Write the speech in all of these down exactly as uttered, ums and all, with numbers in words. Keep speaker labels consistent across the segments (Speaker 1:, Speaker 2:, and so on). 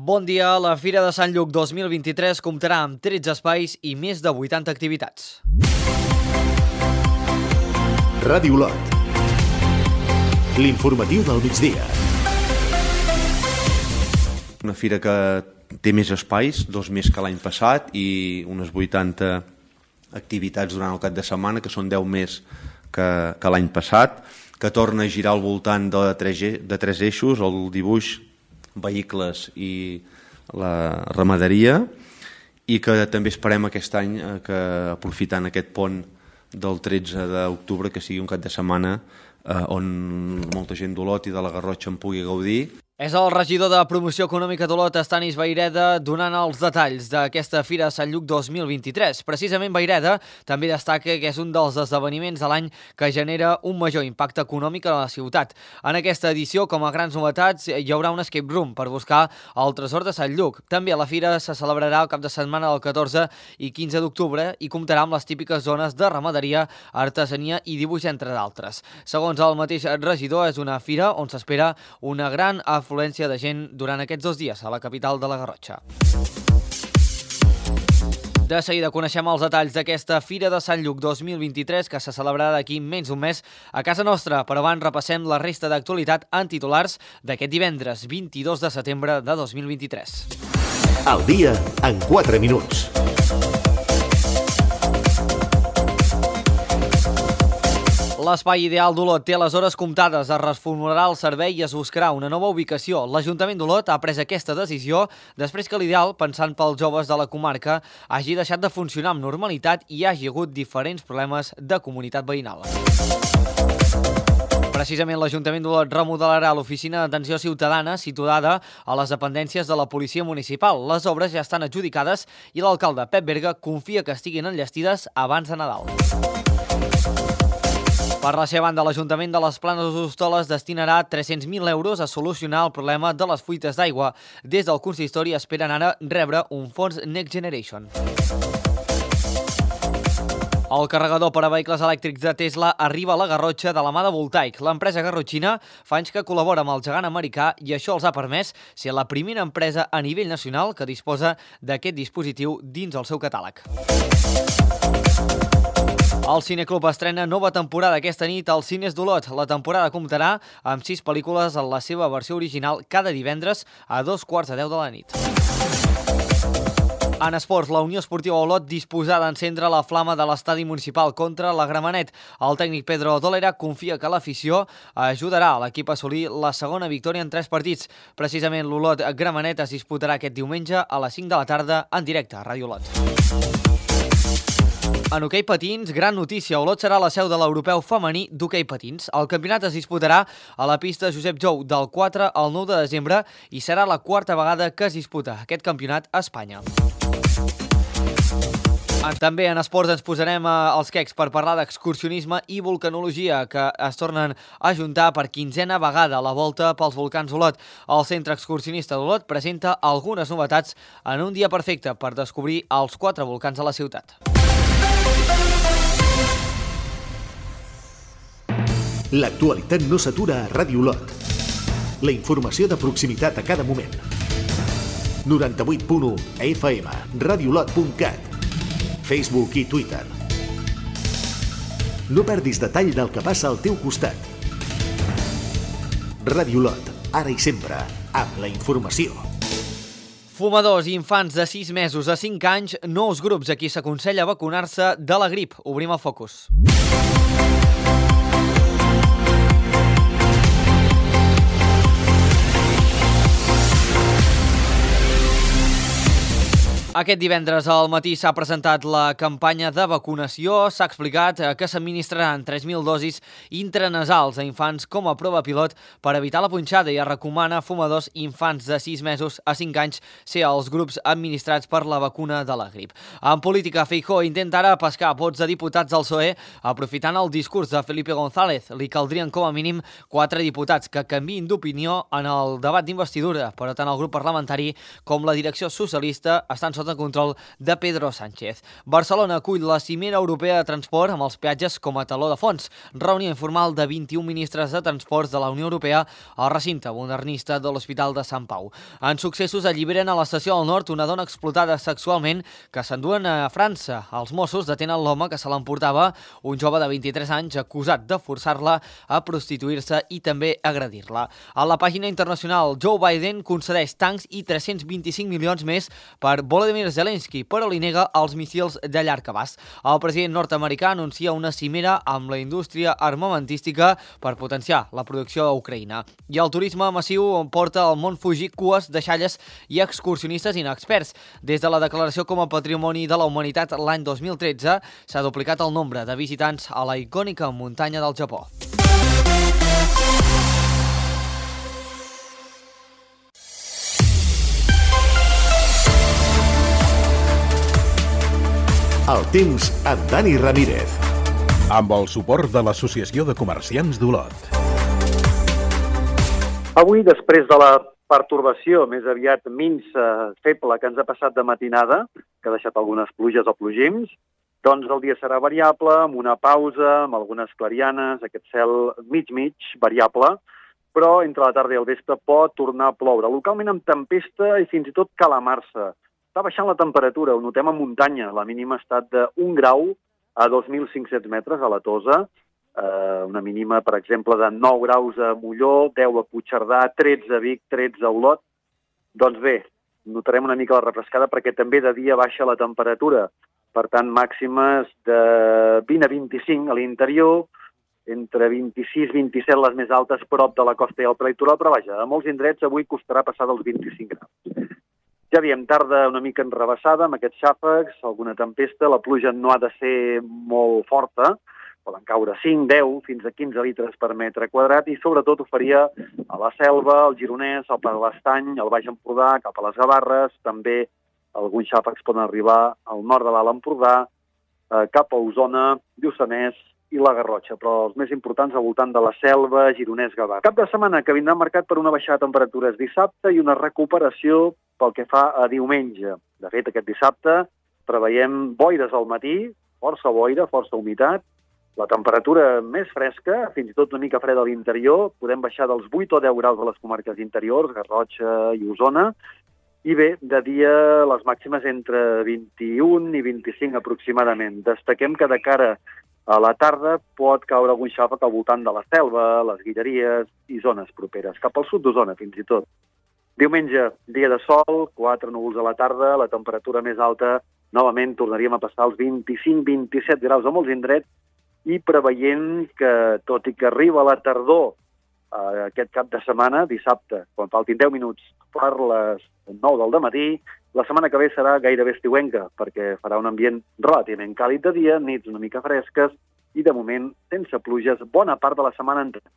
Speaker 1: Bon dia, la Fira de Sant Lluc dos mil vint-i-tres comptarà amb tretze espais i més de vuitanta activitats.
Speaker 2: Ràdio Olot. L'informatiu del migdia.
Speaker 3: Una fira que té més espais, dos més que l'any passat, i unes vuitanta activitats durant el cap de setmana, que són deu més que, que l'any passat, que torna a girar al voltant de tres, de tres eixos, el dibuix, vehicles i la ramaderia, i que també esperem aquest any que, aprofitant aquest pont del tretze d'octubre, que sigui un cap de setmana eh, on molta gent d'Olot i de la Garrotxa en pugui gaudir.
Speaker 1: És el regidor de Promoció Econòmica d'Olot, Estanis Vayreda, donant els detalls d'aquesta Fira de Sant Lluc dos mil vint-i-tres. Precisament Vayreda també destaca que és un dels esdeveniments de l'any que genera un major impacte econòmic a la ciutat. En aquesta edició, com a grans novetats, hi haurà un escape room per buscar el tresor de Sant Lluc. També a la Fira se celebrarà el cap de setmana del catorze i quinze d'octubre i comptarà amb les típiques zones de ramaderia, artesania i dibuix, entre d'altres. Segons el mateix regidor, és una fira on s'espera una gran afluència de gent durant aquests dos dies a la capital de la Garrotxa. De seguida coneixem els detalls d'aquesta Fira de Sant Lluc dos mil vint-i-tres que se celebrarà d'aquí menys d'un mes a casa nostra, però abans repassem la resta d'actualitat en titulars d'aquest divendres vint-i-dos de setembre de dos mil vint-i-tres.
Speaker 2: El dia en quatre minuts.
Speaker 1: L'espai ideal d'Olot té les hores comptades, es reformularà el servei i es buscarà una nova ubicació. L'Ajuntament d'Olot ha pres aquesta decisió després que l'ideal, pensant pels joves de la comarca, hagi deixat de funcionar amb normalitat i hi hagi hagut diferents problemes de comunitat veïnal. Precisament l'Ajuntament d'Olot remodelarà l'oficina d'atenció ciutadana situada a les dependències de la Policia Municipal. Les obres ja estan adjudicades i l'alcalde Pep Berga confia que estiguin enllestides abans de Nadal. Per la seva banda, l'Ajuntament de les Planes d'Hostoles destinarà tres-cents mil euros a solucionar el problema de les fuites d'aigua. Des del consistori esperen ara rebre un fons Next Generation. El carregador per a vehicles elèctrics de Tesla arriba a la Garrotxa de la mà de Voltaic. L'empresa garrotxina fa anys que col·labora amb el gegant americà i això els ha permès ser la primera empresa a nivell nacional que disposa d'aquest dispositiu dins el seu catàleg. El Cineclub estrena nova temporada aquesta nit als cines d'Olot. La temporada comptarà amb sis pel·lícules en la seva versió original cada divendres a dos quarts de deu de la nit. En esports, la Unió Esportiva Olot disposada d'encendre la flama de l'estadi municipal contra la Gramenet. El tècnic Pedro Dolera confia que l'afició ajudarà a l'equip a assolir la segona victòria en tres partits. Precisament l'Olot Gramenet es disputarà aquest diumenge a les cinc de la tarda en directe a Ràdio Olot. En hoquei patins, gran notícia. Olot serà la seu de l'europeu femení d'hoquei patins. El campionat es disputarà a la pista Josep Jou del quatre al nou de desembre i serà la quarta vegada que es disputa aquest campionat a Espanya. També en esports ens posarem als quecs per parlar d'excursionisme i vulcanologia, que es tornen a juntar per quinzena vegada a la volta pels volcans Olot. El Centre Excursionista d'Olot presenta algunes novetats en un dia perfecte per descobrir els quatre volcans de la ciutat.
Speaker 2: L'actualitat no s'atura a Ràdio Olot. La informació de proximitat a cada moment. noranta-vuit punt u F M, radiolot punt cat, Facebook i Twitter. No perdis detall del que passa al teu costat. Ràdio Olot, ara i sempre, amb la informació.
Speaker 1: Fumadors i infants de sis mesos a cinc anys, nous grups a qui s'aconsella vacunar-se de la grip. Obrim el focus. Aquest divendres al matí s'ha presentat la campanya de vacunació. S'ha explicat que s'administraran tres mil dosis intranasals a infants com a prova pilot per evitar la punxada i es recomana a fumadors i infants de sis mesos a cinc anys ser els grups administrats per la vacuna de la grip. En política, Feijóo intenta ara pescar vots de diputats del P S O E aprofitant el discurs de Felipe González. Li caldrien com a mínim quatre diputats que canviïn d'opinió en el debat d'investidura, però tant el grup parlamentari com la direcció socialista estan sota sota control de Pedro Sánchez. Barcelona acull la cimera europea de transport amb els peatges com a taló de fons. Reunió informal de vint-i-un ministres de transports de la Unió Europea al recinte modernista de l'Hospital de Sant Pau. En successos alliberen a l'estació del Nord una dona explotada sexualment que s'enduen a França. Els Mossos detenen l'home que se l'emportava, un jove de vint-i-tres anys acusat de forçar-la a prostituir-se i també agredir-la. A la pàgina internacional, Joe Biden concedeix tancs i tres-cents vint-i-cinc milions més per Volodymyr Zelensky, però li nega els míssils de llarg abast. El president nord-americà anuncia una cimera amb la indústria armamentística per potenciar la producció a Ucraïna. I el turisme massiu porta al món Fuji cues de xalles i excursionistes inexperts. Des de la declaració com a Patrimoni de la Humanitat l'any dos mil tretze s'ha duplicat el nombre de visitants a la icònica muntanya del Japó.
Speaker 2: El temps amb Dani Ramírez.
Speaker 4: Amb el suport de l'Associació de Comerciants d'Olot.
Speaker 5: Avui, després de la pertorbació més aviat minsa, feble, que ens ha passat de matinada, que ha deixat algunes pluges o plogims, doncs el dia serà variable, amb una pausa, amb algunes clarianes, aquest cel mig-mig, variable, però entre la tarda i el vespre pot tornar a ploure, localment amb tempesta i fins i tot calamar-se. Està baixant la temperatura, ho notem a muntanya. La mínima ha estat d'un grau a dos mil cinc-cents metres a la Tosa, eh, una mínima, per exemple, de nou graus a Molló, deu a Puigcerdà, tretze a Vic, tretze a Olot. Doncs bé, notarem una mica la refrescada perquè també de dia baixa la temperatura. Per tant, màximes de vint a vint-i-cinc a l'interior, entre vint-i-sis i vint-i-set les més altes prop de la costa i el prelitoral, però vaja, a molts indrets avui costarà passar dels vint-i-cinc graus. Ja diem, tarda una mica enrebaçada amb aquests xàfecs, alguna tempesta, la pluja no ha de ser molt forta, poden caure cinc, deu, fins a quinze litres per metre quadrat i sobretot ho faria a la Selva, al Gironès, al Pla de l'Estany, al Baix Empordà, cap a les Gavarres, també alguns xàfecs poden arribar al nord de l'Alt Empordà, eh, cap a Osona, Lluçanès i la Garrotxa, però els més importants al voltant de la Selva, Gironès, Gavarra. Cap de setmana que vindrà marcat per una baixada de temperatures dissabte i una recuperació pel que fa a diumenge. De fet, aquest dissabte preveiem boires al matí, força boira, força humitat, la temperatura més fresca, fins i tot una mica freda a l'interior, podem baixar dels vuit o deu graus a les comarques interiors, Garrotxa i Osona, i bé, de dia les màximes entre vint-i-un i vint-i-cinc aproximadament. Destaquem que de cara a la tarda pot caure algun xàfec al voltant de la Selva, les Guilleries i zones properes, cap al sud d'Osona fins i tot. Diumenge, dia de sol, quatre núvols a la tarda, la temperatura més alta, novament tornaríem a passar els vint-i-cinc a vint-i-set graus a molts indrets i preveient que, tot i que arriba la tardor eh, aquest cap de setmana, dissabte, quan faltin deu minuts per les nou del dematí, la setmana que ve serà gairebé estiuenca, perquè farà un ambient relativament càlid de dia, nits una mica fresques i, de moment, sense pluges, bona part de la setmana entera.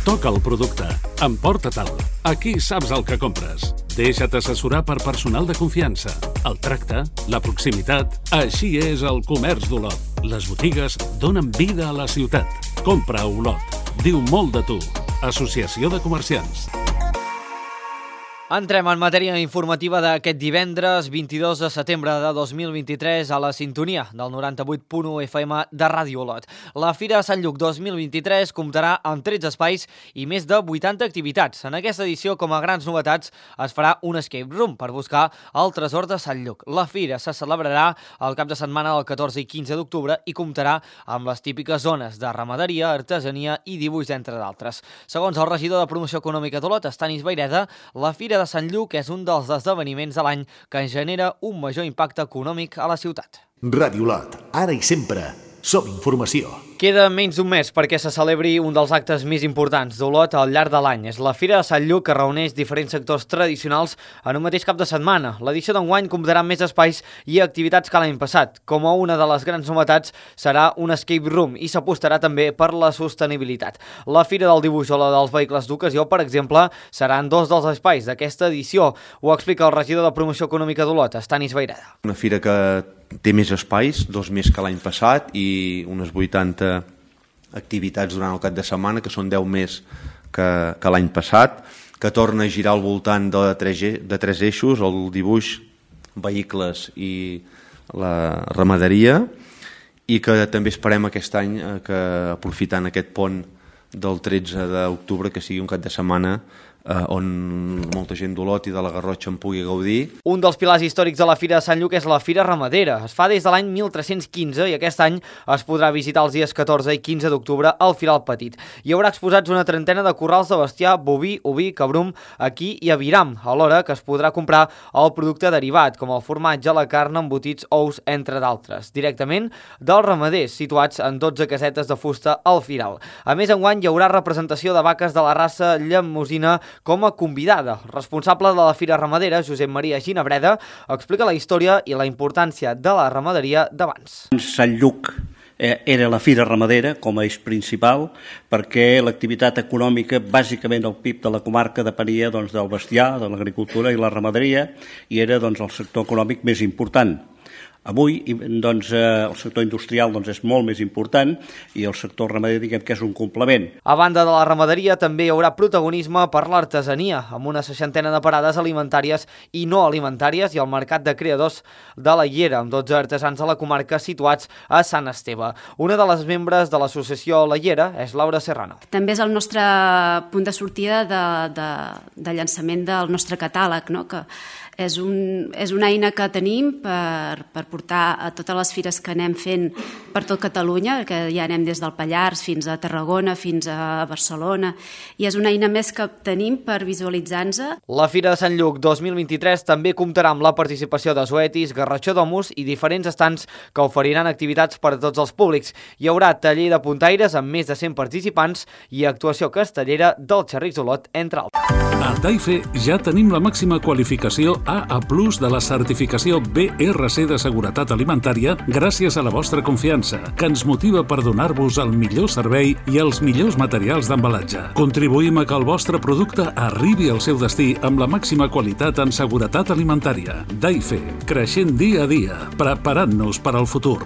Speaker 4: Toca el producte. Emporta-te'l. Aquí saps el que compres. Deixa't assessorar per personal de confiança. El tracte, la proximitat... Així és el comerç d'Olot. Les botigues donen vida a la ciutat. Compra a Olot. Diu molt de tu. Associació de Comerciants.
Speaker 1: Entrem en matèria informativa d'aquest divendres vint-i-dos de setembre de dos mil vint-i-tres a la sintonia del noranta-vuit punt u F M de Ràdio Olot. La Fira de Sant Lluc dos mil vint-i-tres comptarà amb tretze espais i més de vuitanta activitats. En aquesta edició, com a grans novetats, es farà un escape room per buscar el tresor de Sant Lluc. La Fira se celebrarà el cap de setmana del catorze i quinze d'octubre i comptarà amb les típiques zones de ramaderia, artesania i dibuix, entre d'altres. Segons el regidor de Promoció Econòmica d'Olot, Estanis Vayreda, la Fira de Sant Lluc és un dels esdeveniments de l'any que genera un major impacte econòmic a la ciutat.
Speaker 2: Ràdio Olot, ara i sempre, som informació.
Speaker 1: Queda menys d'un mes perquè se celebri un dels actes més importants d'Olot al llarg de l'any. És la Fira de Sant Lluc, que reuneix diferents sectors tradicionals en un mateix cap de setmana. L'edició d'enguany comptarà amb més espais i activitats que l'any passat. Com a una de les grans novetats serà un escape room i s'apostarà també per la sostenibilitat. La Fira del Dibuix o la dels vehicles d'ocasió, per exemple, seran dos dels espais d'aquesta edició. Ho explica el regidor de Promoció Econòmica d'Olot, Estanis Vayreda.
Speaker 3: Una fira que té més espais, dos més que l'any passat, i unes vuitanta activitats durant el cap de setmana, que són deu més que, que l'any passat, que torna a girar al voltant de tres, de tres eixos, el dibuix, vehicles i la ramaderia, i que també esperem aquest any que, aprofitant aquest pont del tretze d'octubre, que sigui un cap de setmana eh, on molta gent d'Olot i de la Garrotxa en pugui gaudir.
Speaker 1: Un dels pilars històrics de la Fira de Sant Lluc és la Fira Ramadera. Es fa des de l'any mil tres-cents quinze i aquest any es podrà visitar els dies catorze i quinze d'octubre al Firal Petit. Hi haurà exposats una trentena de corrals de bestiar, boví, oví, cabrum, aquí i a Viram, alhora que es podrà comprar el producte derivat, com el formatge, la carn, embotits, ous, entre d'altres, directament dels ramaders, situats en dotze casetes de fusta al Firal. A més, enguany hi haurà representació de vaques de la raça llemosina com a convidada. El responsable de la Fira Ramadera, Josep Maria Ginabreda, explica la història i la importància de la ramaderia d'abans.
Speaker 6: Sant Lluc eh, era la Fira Ramadera com a eix principal perquè l'activitat econòmica, bàsicament el P I B de la comarca, depenia doncs, del bestiar, de l'agricultura i la ramaderia, i era doncs, el sector econòmic més important. Avui doncs, el sector industrial doncs, és molt més important i el sector ramader diguem que és un complement.
Speaker 1: A banda de la ramaderia també hi haurà protagonisme per l'artesania, amb una seixantena de parades alimentàries i no alimentàries i el mercat de creadors de la Llera, amb dotze artesans de la comarca situats a Sant Esteve. Una de les membres de l'associació La Llera és Laura Serrano.
Speaker 7: També és el nostre punt de sortida de, de, de llançament del nostre catàleg, no? Que és, un, és una eina que tenim per, per portar a totes les fires que anem fent per tot Catalunya, que ja anem des del Pallars fins a Tarragona, fins a Barcelona, i és una eina més que tenim per visualitzar-nos.
Speaker 1: La Fira de Sant Lluc dos mil vint-i-tres també comptarà amb la participació de Zoetis, Garratxó d'Omus i diferents estants que oferiran activitats per a tots els públics. Hi haurà taller de puntaires amb més de cent participants i actuació castellera del Xerrics d'Olot, entre altres.
Speaker 4: A Taife ja tenim la màxima qualificació A A plus de la certificació B R C de seguretat alimentària gràcies a la vostra confiança, que ens motiva per donar-vos el millor servei i els millors materials d'embalatge. Contribuïm a que el vostre producte arribi al seu destí amb la màxima qualitat en seguretat alimentària. Taife, creixent dia a dia, preparant-nos per al futur.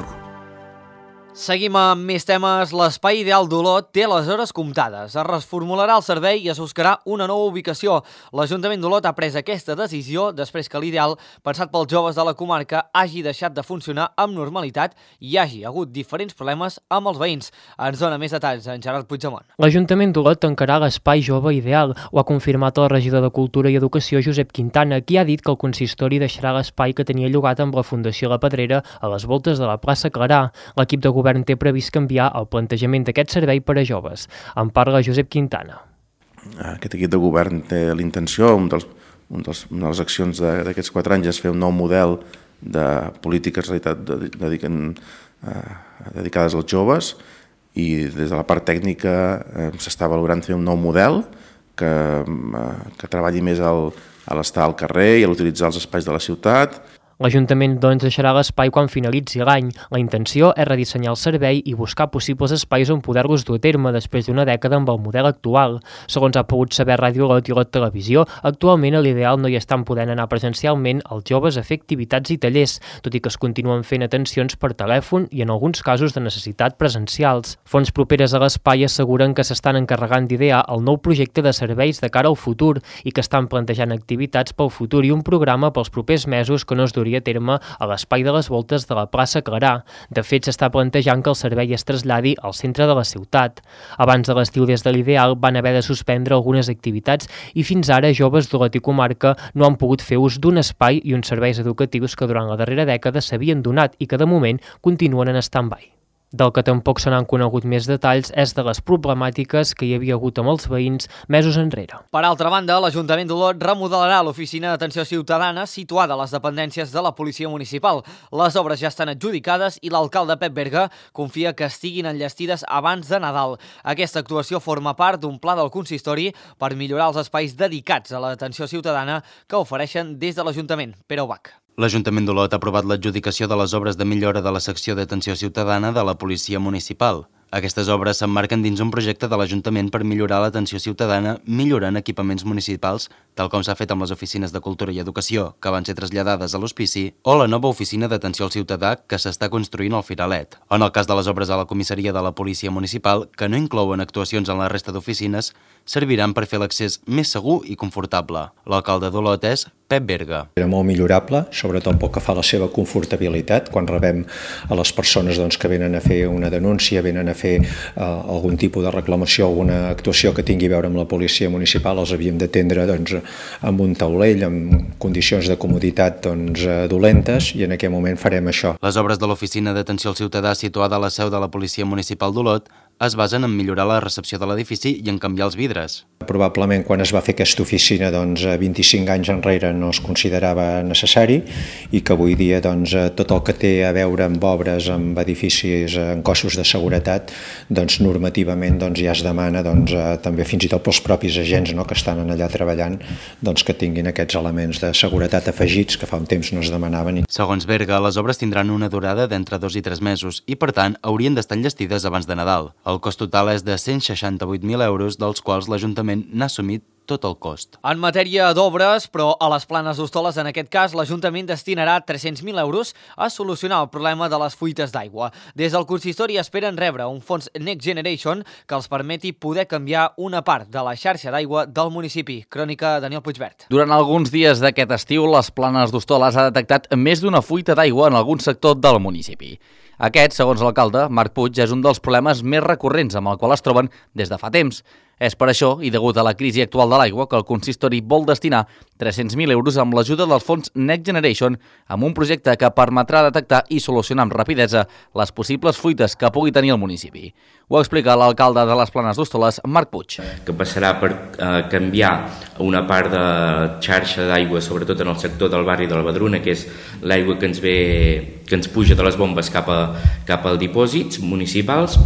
Speaker 1: Seguim amb més temes. L'espai ideal d'Olot té les hores comptades. Es reformularà el servei i es buscarà una nova ubicació. L'Ajuntament d'Olot ha pres aquesta decisió després que l'ideal, pensat pels joves de la comarca, hagi deixat de funcionar amb normalitat i hi hagi hagut diferents problemes amb els veïns. Ens dona més detalls en Gerard Puigdemont.
Speaker 8: L'Ajuntament d'Olot tancarà l'espai jove ideal. Ho ha confirmat el regidor de Cultura i Educació, Josep Quintana, qui ha dit que el consistori deixarà l'espai que tenia llogat amb la Fundació La Pedrera a les voltes de la plaça Clarà. L'equip de govern té previst canviar el plantejament d'aquest servei per a joves. En parla Josep Quintana.
Speaker 9: Aquest equip de govern té la intenció, un dels, un dels, una de les accions d'aquests quatre anys és fer un nou model de polítiques realitat dediquen, eh, dedicades als joves i des de la part tècnica eh, s'està valorant fer un nou model que, eh, que treballi més al, a l'estar al carrer i a l'utilitzar els espais de la ciutat.
Speaker 8: L'Ajuntament doncs deixarà l'espai quan finalitzi l'any. La intenció és redissenyar el servei i buscar possibles espais on poder-los dur a terme després d'una dècada amb el model actual. Segons ha pogut saber Ràdio Olot i Olot Televisió, actualment a l'ideal no hi estan podent anar presencialment els joves a fer activitats i tallers, tot i que es continuen fent atencions per telèfon i en alguns casos de necessitat presencials. Fonts properes a l'espai asseguren que s'estan encarregant d'idear el nou projecte de serveis de cara al futur i que estan plantejant activitats pel futur i un programa pels propers mesos que no es duria a terme a l'espai de les voltes de la plaça Clarà. De fet, s'està plantejant que el servei es traslladi al centre de la ciutat. Abans de l'estiu des de l'ideal van haver de suspendre algunes activitats i fins ara joves d'Olot i comarca no han pogut fer ús d'un espai i uns serveis educatius que durant la darrera dècada s'havien donat i que de moment continuen en stand-by. Del que tampoc se n'han conegut més detalls és de les problemàtiques que hi havia hagut amb els veïns mesos enrere.
Speaker 1: Per altra banda, l'Ajuntament d'Olot remodelarà l'oficina d'atenció ciutadana situada a les dependències de la Policia Municipal. Les obres ja estan adjudicades i l'alcalde Pep Berga confia que estiguin enllestides abans de Nadal. Aquesta actuació forma part d'un pla del consistori per millorar els espais dedicats a l'atenció ciutadana que ofereixen des de l'Ajuntament. Pere Ubach.
Speaker 10: L'Ajuntament d'Olot ha aprovat l'adjudicació de les obres de millora de la secció d'atenció ciutadana de la Policia Municipal. Aquestes obres s'emmarquen dins un projecte de l'Ajuntament per millorar l'atenció ciutadana millorant equipaments municipals, tal com s'ha fet amb les oficines de Cultura i Educació, que van ser traslladades a l'Hospici, o la nova oficina d'atenció al ciutadà que s'està construint al Firalet. En el cas de les obres a la comissaria de la Policia Municipal, que no inclouen actuacions en la resta d'oficines, serviran per fer l'accés més segur i confortable. L'alcalde d'Olot és Pep Berga.
Speaker 11: Era molt millorable, sobretot pel que fa a la seva confortabilitat. Quan rebem a les persones doncs, que venen a fer una denúncia, venen a fer eh, algun tipus de reclamació, alguna actuació que tingui a veure amb la policia municipal, els havíem d'atendre doncs, amb un taulell, amb condicions de comoditat doncs, dolentes, i en aquest moment farem això.
Speaker 10: Les obres de l'Oficina d'Atenció al Ciutadà situada a la seu de la Policia Municipal d'Olot es basen en millorar la recepció de l'edifici i en canviar els vidres.
Speaker 11: Probablement quan es va fer aquesta oficina doncs, vint-i-cinc anys enrere no es considerava necessari i que avui dia doncs, tot el que té a veure amb obres, amb edificis, en cossos de seguretat, doncs, normativament doncs, ja es demana doncs, també fins i tot pels propis agents no, que estan allà treballant doncs, que tinguin aquests elements de seguretat afegits que fa un temps no es demanaven.
Speaker 10: Segons Berga, les obres tindran una durada d'entre dos i tres mesos i, per tant, haurien d'estar enllestides abans de Nadal. El cost total és de cent seixanta-vuit mil euros, dels quals l'Ajuntament n'ha assumit tot el cost.
Speaker 1: En matèria d'obres, però a les Planes d'Hostoles, en aquest cas, l'Ajuntament destinarà tres-cents mil euros a solucionar el problema de les fuites d'aigua. Des del consistori esperen rebre un fons Next Generation que els permeti poder canviar una part de la xarxa d'aigua del municipi. Crònica Daniel Puigvert.
Speaker 12: Durant alguns dies d'aquest estiu, les Planes d'Hostoles ha detectat més d'una fuita d'aigua en algun sector del municipi. Aquest, segons l'alcalde, Marc Puig, és un dels problemes més recurrents amb el qual es troben des de fa temps. És per això, i degut a la crisi actual de l'aigua, que el consistori vol destinar tres-cents mil euros amb l'ajuda dels fons Next Generation amb un projecte que permetrà detectar i solucionar amb rapidesa les possibles fuites que pugui tenir el municipi. Ho explica l'alcalde de les Planes d'Hostoles, Marc Puig.
Speaker 13: Que passarà per eh, canviar una part de xarxa d'aigua, sobretot en el sector del barri de la Badruna, que és l'aigua que ens ve, que ens puja de les bombes cap, a, cap als dipòsits municipals,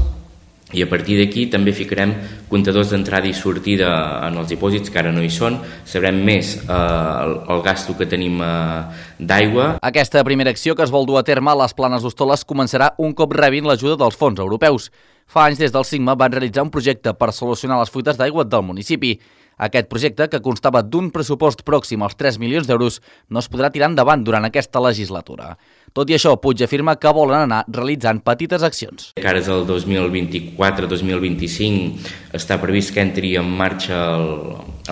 Speaker 13: i a partir d'aquí també ficarem comptadors d'entrada i sortida en els dipòsits, que ara no hi són. Sabrem més eh, el, el gasto que tenim eh, d'aigua.
Speaker 12: Aquesta primera acció que es vol dur a terme a les Planes d'Hostoles començarà un cop rebin l'ajuda dels fons europeus. Fa anys des del Sigma van realitzar un projecte per solucionar les fuites d'aigua del municipi. Aquest projecte, que constava d'un pressupost pròxim als tres milions d'euros, no es podrà tirar endavant durant aquesta legislatura. Tot i això, Puig afirma que volen anar realitzant petites accions.
Speaker 13: Que ara és el dos mil vint-i-quatre dos mil vint-i-cinc, està previst que entri en marxa el,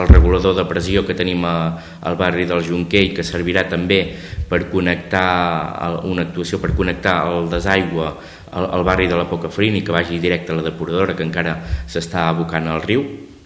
Speaker 13: el regulador de pressió que tenim a, al barri del Jonquer i que servirà també per connectar una actuació per connectar el desaigua al, al barri de la Pocafrin i que vagi directe a la depuradora que encara s'està abocant al riu.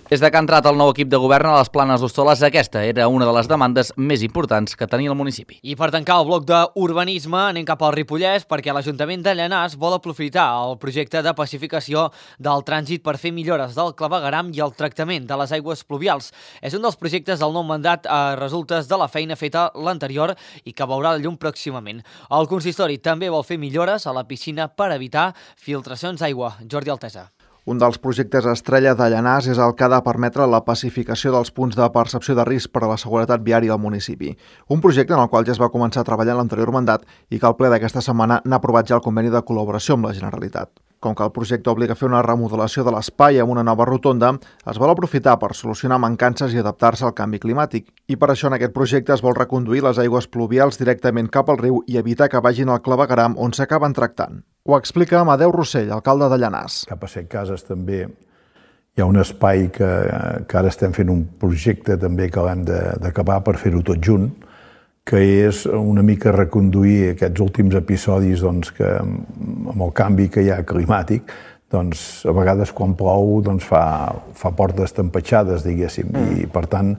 Speaker 12: Des de que ha entrat el nou equip de govern a les Planes d'Hostoles, aquesta era una de les demandes més importants que tenia el municipi.
Speaker 1: I per tancar el bloc d'urbanisme, anem cap al Ripollès perquè l'Ajuntament de Llanars vol aprofitar el projecte de pacificació del trànsit per fer millores del clavegueram i el tractament de les aigües pluvials. És un dels projectes del nou mandat a resultes de la feina feta l'anterior i que veurà la llum pròximament. El consistori també vol fer millores a la piscina per evitar filtracions d'aigua. Jordi Altesa.
Speaker 14: Un dels projectes estrella de Llanars és el que ha de permetre la pacificació dels punts de percepció de risc per a la seguretat viària del municipi. Un projecte en el qual ja es va començar a treballar en l'anterior mandat i que el ple d'aquesta setmana n'ha aprovat ja el conveni de col·laboració amb la Generalitat. Com que el projecte obliga a fer una remodelació de l'espai amb una nova rotonda, es vol aprofitar per solucionar mancances i adaptar-se al canvi climàtic. I per això en aquest projecte es vol reconduir les aigües pluvials directament cap al riu i evitar que vagin al clavegueram on s'acaben tractant. Ho explica Amadeu Rossell, alcalde de Llanars.
Speaker 15: Cap a Set Cases també hi ha un espai que, que ara estem fent un projecte també que l'hem d'acabar per fer-ho tot junt, que és una mica reconduir aquests últims episodis doncs, que amb el canvi que hi ha climàtic, doncs, a vegades quan plou doncs, fa, fa portes tempatxades, diguéssim, i per tant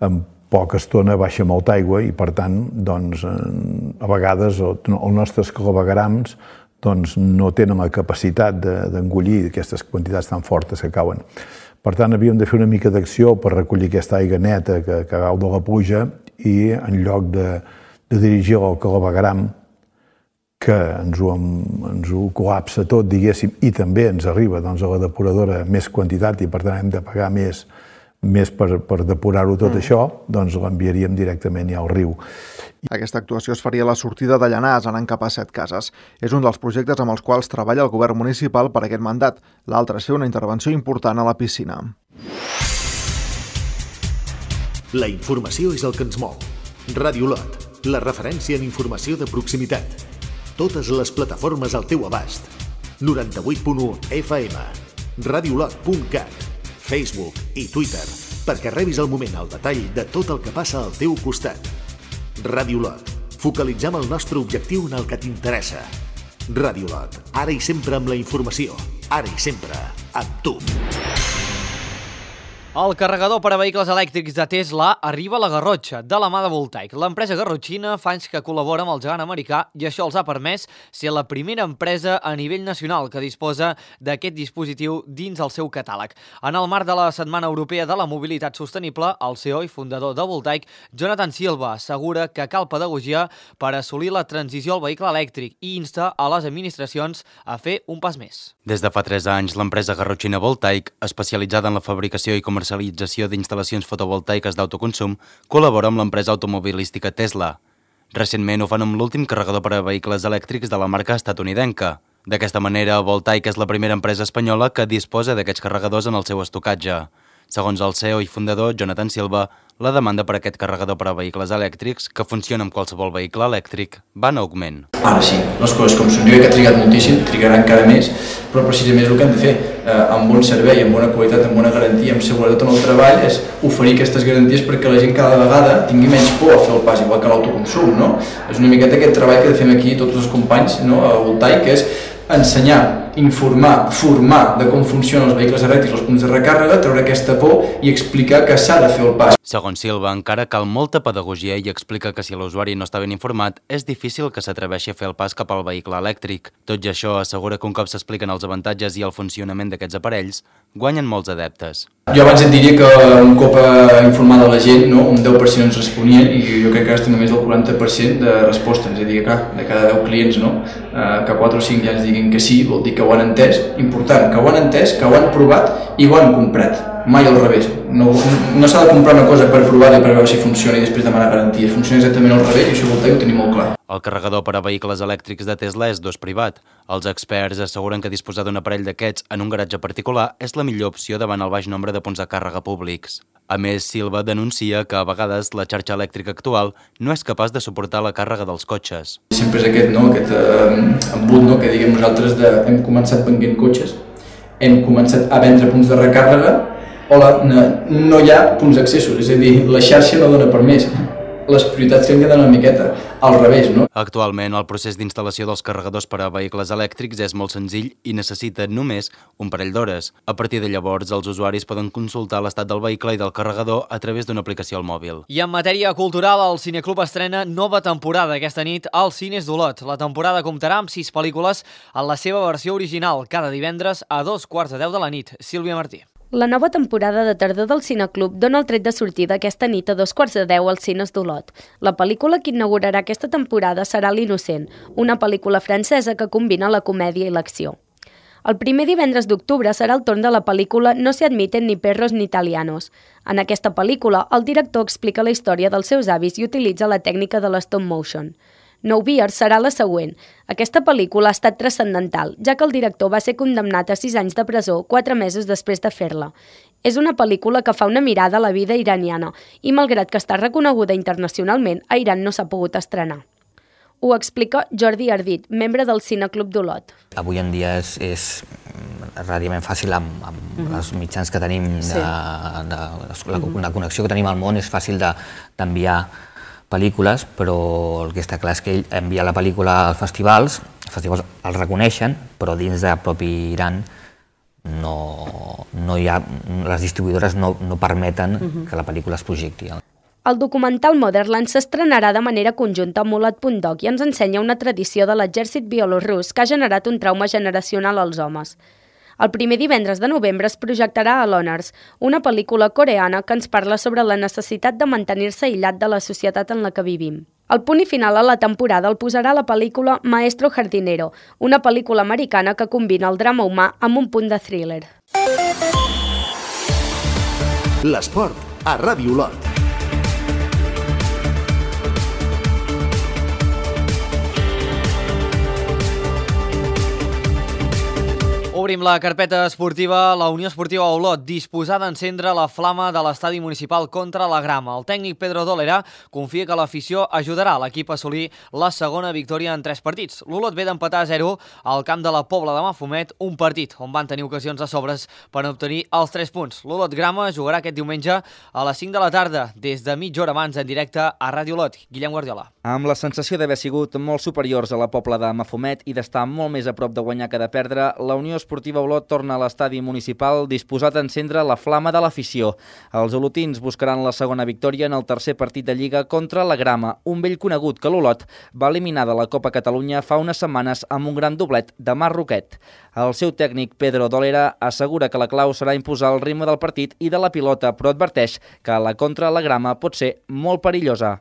Speaker 15: en poca estona baixa molta aigua i per tant doncs, a vegades els nostres claveguerams doncs, no tenen la capacitat d'engollir aquestes quantitats tan fortes que cauen. Per tant, havíem de fer una mica d'acció per recollir aquesta aigua neta que, que cau de la pluja i en lloc de, de dirigir al clavegueram, que ens ho, ens ho col·lapsa tot, diguéssim, i també ens arriba doncs, a la depuradora més quantitat i per tant hem de pagar més, més per, per depurar-ho tot mm. això, doncs l'enviaríem directament ja al riu.
Speaker 14: Aquesta actuació es faria a la sortida de Llanars, anant cap a Set Cases. És un dels projectes amb els quals treballa el govern municipal per aquest mandat. L'altre és fer una intervenció important a la piscina.
Speaker 2: La informació és el que ens mou. Ràdio Lot, la referència en informació de proximitat. Totes les plataformes al teu abast. noranta-vuit punt u F M, radiolot punt cat, Facebook i Twitter, perquè rebis al moment el detall de tot el que passa al teu costat. Ràdio Lot. Focalitzem el nostre objectiu en el que t'interessa. Ràdio Lot. Ara i sempre amb la informació. Ara i sempre amb tu.
Speaker 1: El carregador per a vehicles elèctrics de Tesla arriba a la Garrotxa, de la mà de Voltaic. L'empresa garrotxina fa anys que col·labora amb el gegant americà i això els ha permès ser la primera empresa a nivell nacional que disposa d'aquest dispositiu dins el seu catàleg. En el marc de la Setmana Europea de la Mobilitat Sostenible, el C E O i fundador de Voltaic, Jonathan Silva, assegura que cal pedagogia per assolir la transició al vehicle elèctric i insta a les administracions a fer un pas més.
Speaker 10: Des de fa tres anys, l'empresa garrotxina Voltaic, especialitzada en la fabricació i comercialització d'instal·lacions fotovoltaiques d'autoconsum, col·labora amb l'empresa automobilística Tesla. Recentment ho fan amb l'últim carregador per a vehicles elèctrics de la marca estatunidenca. D'aquesta manera, Voltaic és la primera empresa espanyola que disposa d'aquests carregadors en el seu estocatge. Segons el C E O i fundador, Jonathan Silva, la demanda per aquest carregador per a vehicles elèctrics, que funciona amb qualsevol vehicle elèctric, va en augment.
Speaker 16: Ara sí, les coses com són. Jo crec que ha trigat moltíssim, trigaran encara més, però precisament és el que hem de fer. Eh, amb bon servei, amb bona qualitat, amb bona garantia, amb seguretat en el treball, és oferir aquestes garanties perquè la gent cada vegada tingui menys por a fer el pas, igual que l'autoconsum, no? És una miqueta aquest treball que fem aquí tots els companys, no? A Voltaic, que és ensenyar, informar, formar de com funcionen els vehicles elèctrics, els punts de recàrrega, treure aquesta por i explicar que s'ha de fer el pas.
Speaker 10: Segons Silva, encara cal molta pedagogia i explica que si l'usuari no està ben informat, és difícil que s'atreveixi a fer el pas cap al vehicle elèctric. Tot i això, assegura que un cop s'expliquen els avantatges i el funcionament d'aquests aparells, guanyen molts adeptes.
Speaker 16: Jo abans et diria que un cop informada la gent, no, un deu per cent ens responien i jo crec que ara estem només del quaranta per cent de resposta, és a dir, que clar, de cada deu clients, no, que quatre o cinc ja ens diguin que sí, vol dir que ho han entès, important, que ho han entès, que ho han provat i ho han comprat. Mai al revés. No, no s'ha de comprar una cosa per provar-la i per veure si funciona i després demanar garanties. Funciona exactament al revés i això Voltaic ho tenim molt clar.
Speaker 10: El carregador per a vehicles elèctrics de Tesla és d'ús privat. Els experts asseguren que disposar d'un aparell d'aquests en un garatge particular és la millor opció davant el baix nombre de punts de càrrega públics. A més, Silva denuncia que a vegades la xarxa elèctrica actual no és capaç de suportar la càrrega dels cotxes.
Speaker 16: Sempre és aquest, no, aquest eh, embut, no, que diguem nosaltres de, hem començat venent cotxes, hem començat a vendre punts de recàrrega, Hola, no, no hi ha punts d'accessos, és a dir, la xarxa no dona per més. Les prioritats que hem quedat una miqueta al revés, no?
Speaker 10: Actualment, el procés d'instal·lació dels carregadors per a vehicles elèctrics és molt senzill i necessita només un parell d'hores. A partir de llavors, els usuaris poden consultar l'estat del vehicle i del carregador a través d'una aplicació al mòbil.
Speaker 1: I en matèria cultural, el Cineclub estrena nova temporada aquesta nit als Cines d'Olot. La temporada comptarà amb sis pel·lícules en la seva versió original, cada divendres a dos quarts de deu de la nit. Sílvia Martí.
Speaker 17: La nova temporada de tardor del Cineclub dona el tret de sortida aquesta nit a dos quarts de deu als Cines d'Olot. La pel·lícula que inaugurarà aquesta temporada serà L'Innocent, una pel·lícula francesa que combina la comèdia i l'acció. El primer divendres d'octubre serà el torn de la pel·lícula No se admiten ni perros ni italianos. En aquesta pel·lícula, el director explica la història dels seus avis i utilitza la tècnica de l'stop motion. No Beers serà la següent. Aquesta pel·lícula ha estat transcendental, ja que el director va ser condemnat a sis anys de presó quatre mesos després de fer-la. És una pel·lícula que fa una mirada a la vida iraniana i, malgrat que està reconeguda internacionalment, a Iran no s'ha pogut estrenar. Ho explica Jordi Ardit, membre del Cineclub d'Olot.
Speaker 18: Avui en dia és, és relativament fàcil amb, amb mm-hmm. els mitjans que tenim, de, sí. de, de, la, la connexió que tenim al món, és fàcil d'enviar de, pel·lícules, però el que està clar és que ell envia la pel·lícula als festivals, els festivals el reconeixen, però dins del propi Iran no, no hi ha, les distribuïdores no, no permeten uh-huh. que la pel·lícula es projecti.
Speaker 17: El documental Motherland s'estrenarà de manera conjunta amb Mulat punt doc i ens ensenya una tradició de l'exèrcit bielorrus que ha generat un trauma generacional als homes. El primer divendres de novembre es projectarà a l'Honors, una pel·lícula coreana que ens parla sobre la necessitat de mantenir-se aïllat de la societat en la que vivim. El punt i final a la temporada el posarà la pel·lícula Maestro Jardinero, una pel·lícula americana que combina el drama humà amb un punt de thriller.
Speaker 2: L'esport a Ràdio Olot.
Speaker 1: Obrim la carpeta esportiva. La Unió Esportiva Olot disposada a encendre la flama de l'estadi municipal contra la grama. El tècnic Pedro Dolera confia que l'afició ajudarà l'equip a assolir la segona victòria en tres partits. L'Olot ve d'empatar a zero al camp de la Pobla de Mafumet, un partit on van tenir ocasions de sobres per obtenir els tres punts. L'Olot Grama jugarà aquest diumenge a les cinc de la tarda, des de mitja hora abans en directe a Ràdio Olot. Guillem Guardiola.
Speaker 12: Amb la sensació d'haver sigut molt superiors a la Pobla de Mafumet i d'estar molt més a prop de guanyar que de perdre, la Unió Esportiva Olot torna a l'estadi municipal disposat a encendre la flama de l'afició. Els olotins buscaran la segona victòria en el tercer partit de Lliga contra la Grama, un vell conegut que l'Olot va eliminar de la Copa Catalunya fa unes setmanes amb un gran doblet de Marc Roquet. El seu tècnic Pedro Dolera assegura que la clau serà imposar el ritme del partit i de la pilota, però adverteix que la contra la Grama pot ser molt perillosa.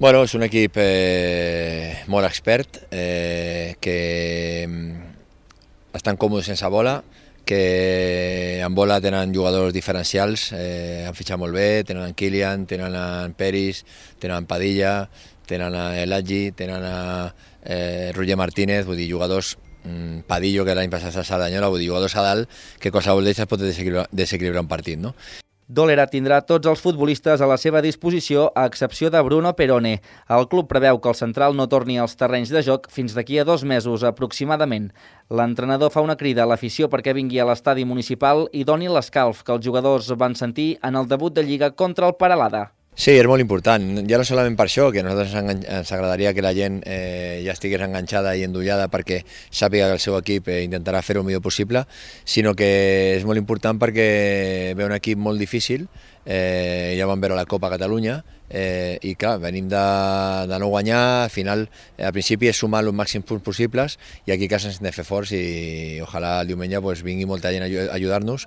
Speaker 19: Bueno, és un equip eh, molt expert, eh, que estan còmodes sense bola, que en bola tenen jugadors diferencials, eh, han fitxat molt bé, tenen en Kilian, tenen en Peris, tenen en Padilla, tenen en Elagi, tenen en eh, Roger Martínez, vull dir, jugadors, mm, Padillo, que l'any passat a Sardanyola, vull dir, jugadors a dalt, que qualsevol d'ells pot desequilibrar, desequilibrar un partit, no?
Speaker 12: Dolera tindrà tots els futbolistes a la seva disposició, a excepció de Bruno Perone. El club preveu que el central no torni als terrenys de joc fins d'aquí a dos mesos aproximadament. L'entrenador fa una crida a l'afició perquè vingui a l'estadi municipal i doni l'escalf que els jugadors van sentir en el debut de Lliga contra el Peralada.
Speaker 19: Sí, és molt important, ja no solament per això, que a nosaltres ens agradaria que la gent eh, ja estigués enganxada i endollada perquè sàpiga que el seu equip eh, intentarà fer-ho el millor possible, sinó que és molt important perquè ve un equip molt difícil, eh, ja vam veure la Copa Catalunya, eh, i clar, venim de, de no guanyar, al final, eh, al principi és sumar els màxims punts possibles, i aquí a casa ens hem de fer forts i ojalà el diumenge pues, vingui molta gent a ajudar-nos.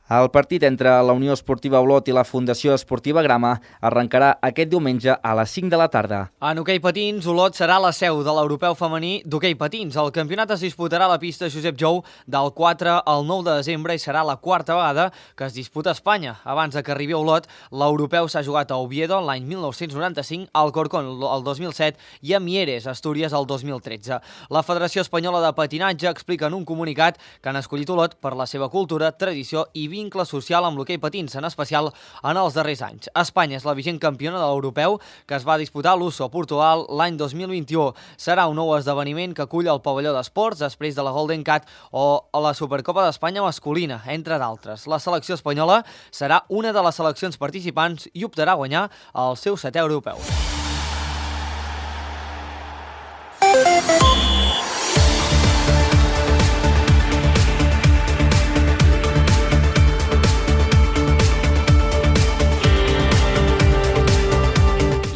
Speaker 12: El partit entre la Unió Esportiva Olot i la Fundació Esportiva Grama arrencarà aquest diumenge a les cinc de la tarda.
Speaker 1: En hoquei patins, Olot serà la seu de l'Europeu femení d'hoquei patins. El campionat es disputarà a la pista Josep Jou del quatre al nou de desembre i serà la quarta vegada que es disputa a Espanya. Abans de que arribi a Olot, l'Europeu s'ha jugat a Oviedo l'any mil nou-cents noranta-cinc, al Corcón el dos mil set i a Mieres, Astúries, el dos mil tretze. La Federació Espanyola de Patinatge explica en un comunicat que han escollit Olot per la seva cultura, tradició i vincle social amb l'hoquei patins, en especial en els darrers anys. Espanya és la vigent campiona de l'europeu que es va disputar a l'Uso, Portugal, l'any dos mil vint-i-u. Serà un nou esdeveniment que acull el pavelló d'esports després de la Golden Cat o la Supercopa d'Espanya masculina, entre d'altres. La selecció espanyola serà una de les seleccions participants i optarà a guanyar el seu setè europeu.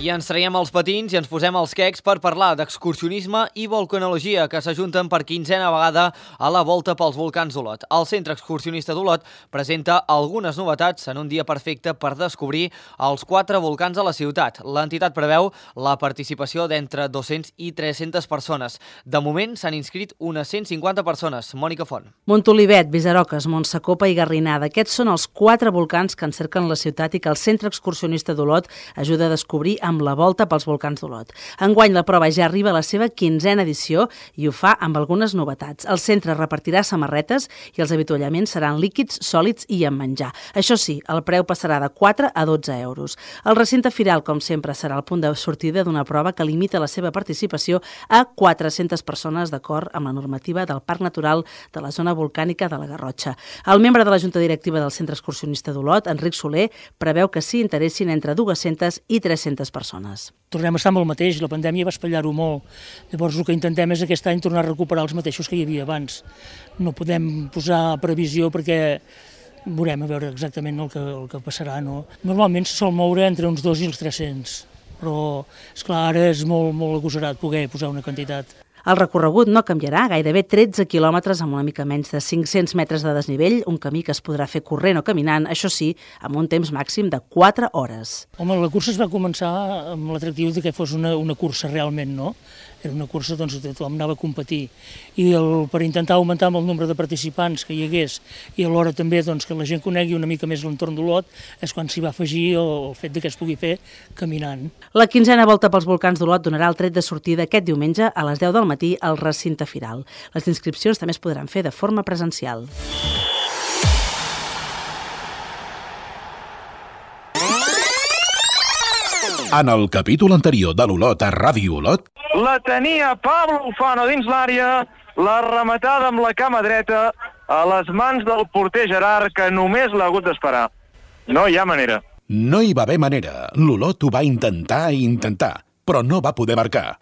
Speaker 1: I ens traiem els patins i ens posem els quecs per parlar d'excursionisme i volcanologia que s'ajunten per quinzena vegada a la Volta pels Volcans d'Olot. El Centre Excursionista d'Olot presenta algunes novetats en un dia perfecte per descobrir els quatre volcans de la ciutat. L'entitat preveu la participació d'entre dos-cents i tres-centes persones. De moment s'han inscrit unes cent cinquanta persones. Mònica Font.
Speaker 20: Montolivet, Visaroques, Montsacopa i Garrinada. Aquests són els quatre volcans que encerquen la ciutat i que el Centre Excursionista d'Olot ajuda a descobrir amb la Volta pels Volcans d'Olot. Enguany la prova ja arriba a la seva quinzena edició i ho fa amb algunes novetats. El centre repartirà samarretes i els avituallaments seran líquids, sòlids i amb menjar. Això sí, el preu passarà de quatre a dotze euros. El recinte firal, com sempre, serà el punt de sortida d'una prova que limita la seva participació a quatre-centes persones d'acord amb la normativa del Parc Natural de la Zona Volcànica de la Garrotxa. El membre de la Junta Directiva del Centre Excursionista d'Olot, Enric Soler, preveu que s'hi interessin entre dues-centes i tres-centes persones.
Speaker 21: Tornem a estar amb el mateix, la pandèmia va espatllar-ho molt. Llavors el que intentem és aquest any tornar a recuperar els mateixos que hi havia abans. No podem posar previsió perquè veurem a veure exactament el que, el que passarà. No? Normalment se sol moure entre uns dos i els tres-cents, però esclar, ara és molt, molt agosarat poder posar una quantitat.
Speaker 20: El recorregut no canviarà, gairebé tretze quilòmetres amb una mica menys de cinc-cents metres de desnivell, un camí que es podrà fer corrent o caminant, això sí, amb un temps màxim de quatre hores.
Speaker 21: Home, la cursa es va començar amb l'atractiu de que fos una, una cursa realment, no? era una cursa doncs, tothom anava a competir. I el, per intentar augmentar el nombre de participants que hi hagués i alhora també doncs, que la gent conegui una mica més l'entorn d'Olot, és quan s'hi va afegir el, el fet de que es pugui fer caminant.
Speaker 20: La quinzena volta pels volcans d'Olot donarà el tret de sortida aquest diumenge a les deu del matí al recinte firal. Les inscripcions també es podran fer de forma presencial.
Speaker 5: En el capítol anterior de l'Olot a Ràdio Olot...
Speaker 22: La tenia Pablo Ufano dins l'àrea, la rematada amb la cama dreta a les mans del porter Gerard, que només l'ha hagut d'esperar. No hi ha manera.
Speaker 5: No hi va haver manera. L'Olot ho va intentar i intentar, però no va poder marcar.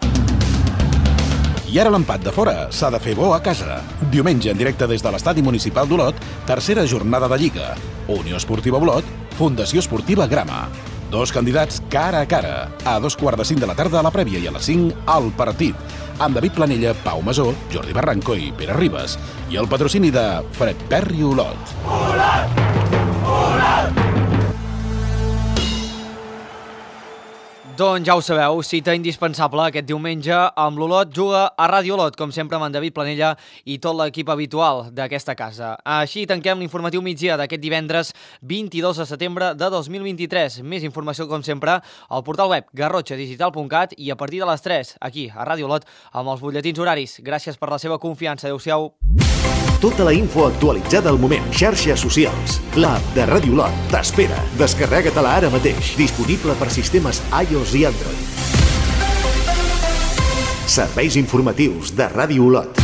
Speaker 5: I ara l'empat de fora s'ha de fer bo a casa. Diumenge en directe des de l'estadi municipal d'Olot, tercera jornada de Lliga. Unió Esportiva Olot, Fundació Esportiva Grama. Dos candidats cara a cara. A dos quarts de cinc de la tarda a la prèvia i a les cinc al partit. Amb David Planella, Pau Masó, Jordi Barranco i Pere Ribas. I el patrocini de Fred Perry Olot. Olot! Olot!
Speaker 1: Doncs ja ho sabeu, cita indispensable aquest diumenge amb l'Olot juga a Ràdio Olot, com sempre amb en David Planella i tot l'equip habitual d'aquesta casa. Així tanquem l'informatiu migdia d'aquest divendres vint-i-dos de setembre de dos mil vint-i-tres. Més informació, com sempre, al portal web garrotxa digital punt cat i a partir de les tres, aquí, a Ràdio Olot, amb els butlletins horaris. Gràcies per la seva confiança. Adéu-siau.
Speaker 2: Tota la info actualitzada al moment. Xarxes socials. L'app de Ràdio Olot t'espera. Descarrega-te-la ara mateix. Disponible per sistemes iOS i Android. Serveis informatius de Ràdio Olot.